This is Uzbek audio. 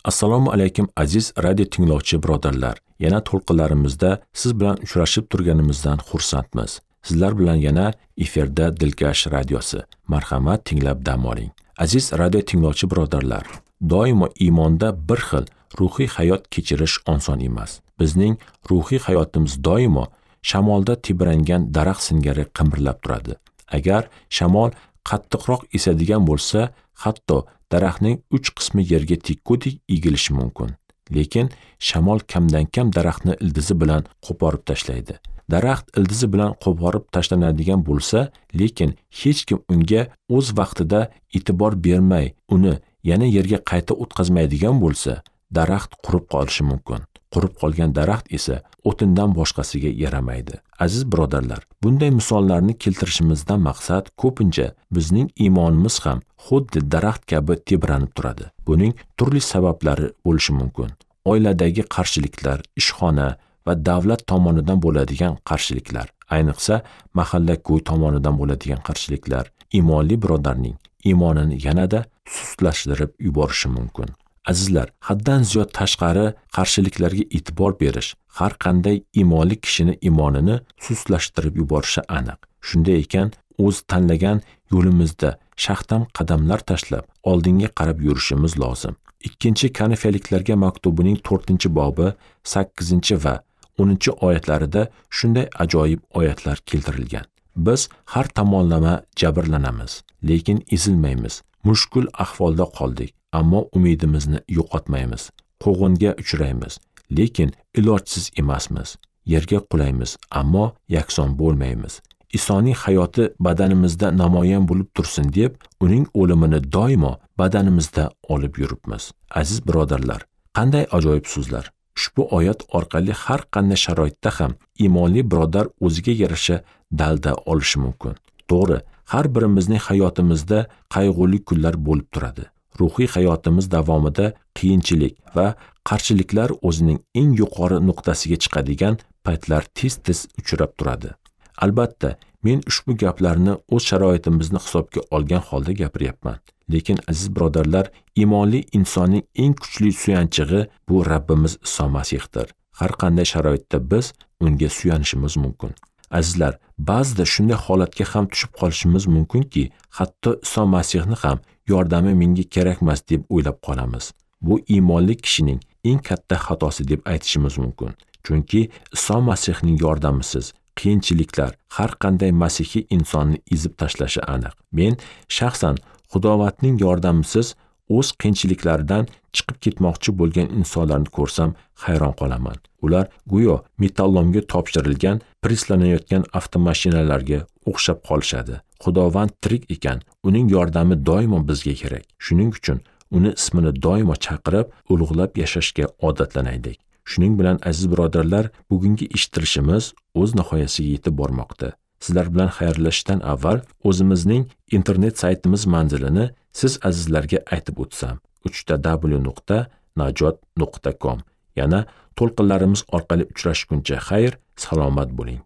Assalomu alaykum aziz radio tinglovchi birodarlar. Yana to'lqinlarimizda siz bilan uchrashib turganimizdan xursandmiz. Sizlar bilan yana efirda Dilkash radiosi. Marhamat, tinglab dam oling. Aziz radio tinglovchi birodarlar, doimo iymonda bir xil ruhiy hayot kechirish oson emas. Bizning ruhiy hayotimiz doimo shamolda tebrangan daraxt singari qimirlab turadi. Agar shamol qattiqroq esadigan bo'lsa, hatto daraxtning 3 qismi yerga tekkudek egilishi mumkin. Lekin shamol kamdan-kam daraxtni ildizi bilan qo'porib tashlaydi. Daraxt ildizi bilan qo'porib tashlanadigan bo'lsa, lekin hech kim unga o'z vaqtida e'tibor bermay, uni yana yerga qayta o'tkazmaydigan bo'lsa, daraxt qurib qolishi mumkin. Qurib qolgan daraxt esa o'tindan boshqasiga yaramaydi. Aziz birodarlar, bunday misollarni keltirishimizdan maqsad ko'pincha bizning iymonimiz ham xuddi daraxt kabi tebranib turadi. Buning turli sabablari bo'lishi mumkin. Oiladagi qarshiliklar, ishxona va davlat tomonidan bo'ladigan qarshiliklar, ayniqsa mahalla-ko'y tomonidan bo'ladigan qarshiliklar iymonli birodarning iymonini yanada sustlashtirib yuborishi mumkin. Azizlar, haddan ziyod tashqari qarshiliklarga e'tibor berish har qanday iymonli kishini iymonini sustlashtirib yuborishi aniq. Shunday ekan, o'z tanlagan yo'limizda shaxtam qadamlar tashlab oldinga qarab yurishimiz lozim. 2 Korinfliklarga maktubining 4-bobi 8 va 10 oyatlarida shunday ajoyib oyatlar keltirilgan. Biz har tomonlama jabrlanamiz, lekin ezilmaymiz. Mushkul ahvolda qoldik, ammo umidimizni yo'qotmaymiz. Quvg'inga uchraymiz, lekin ilojsiz emasmiz. Yerga qulaymiz, ammo yakson bo'lmaymiz. Isoning hayoti badanimizda namoyon bo'lib tursin deb, uning o'limini doimo badanimizda olib yuribmiz. Aziz birodarlar, qanday ajoyib so'zlar. Ushbu oyat orqali har qanday sharoitda ham iymonli birodar o'ziga yarasha dalda olishi mumkin. To'g'ri, har birimizning hayotimizda qayg'uli kunlar bo'lib turadi. Ruhiy hayotimiz davomida qiyinchilik va qarshiliklar o'zining eng yuqori nuqtasiga chiqadigan paytlar tez-tez uchrab turadi. Albatta, men ushbu gaplarni o'z sharoitimizni hisobga olgan holda gapiryapman. Lekin aziz birodarlar, iymonli insonning eng kuchli suyanchig'i bu Rabbimiz Iso Masihdir. Har qanday sharoitda biz unga suyanishimiz mumkin. Azizlar, ba'zida shunday holatga ham tushib qolishimiz mumkinki, hatto Iso Masihni ham yordami menga kerakmas deb o'ylab qolamiz. Bu iymonli kishining eng katta xatosi deb aytishimiz mumkin. Chunki Iso Masihning yordamisiz qiyinchiliklar har qanday masihiy insonni ezib tashlashi aniq. Men shaxsan Xudovandning yordamisiz o'z qiyinchiliklaridan chiqib ketmoqchi bo'lgan insonlarni ko'rsam hayron qolaman. Ular go'yo metallomga topshirilgan, preslanayotgan avtomashinalarga o'xshab qolishadi. Xudovand tirik ekan, uning yordami doimo bizga kerak. Shuning uchun uni ismini doimo chaqirib, ulug'lab yashashga odatlanaylik. Shuning bilan aziz birodarlar, bugungi eshittirishimiz o'z nihoyasiga yetib bormoqda. Sizlar bilan xayrlashishdan avval o'zimizning internet saytimiz manzilini siz azizlarga aytib o'tsam: www.najot.com. Yana to'lqinlarimiz orqali uchrashguncha xayr, salomat bo'ling.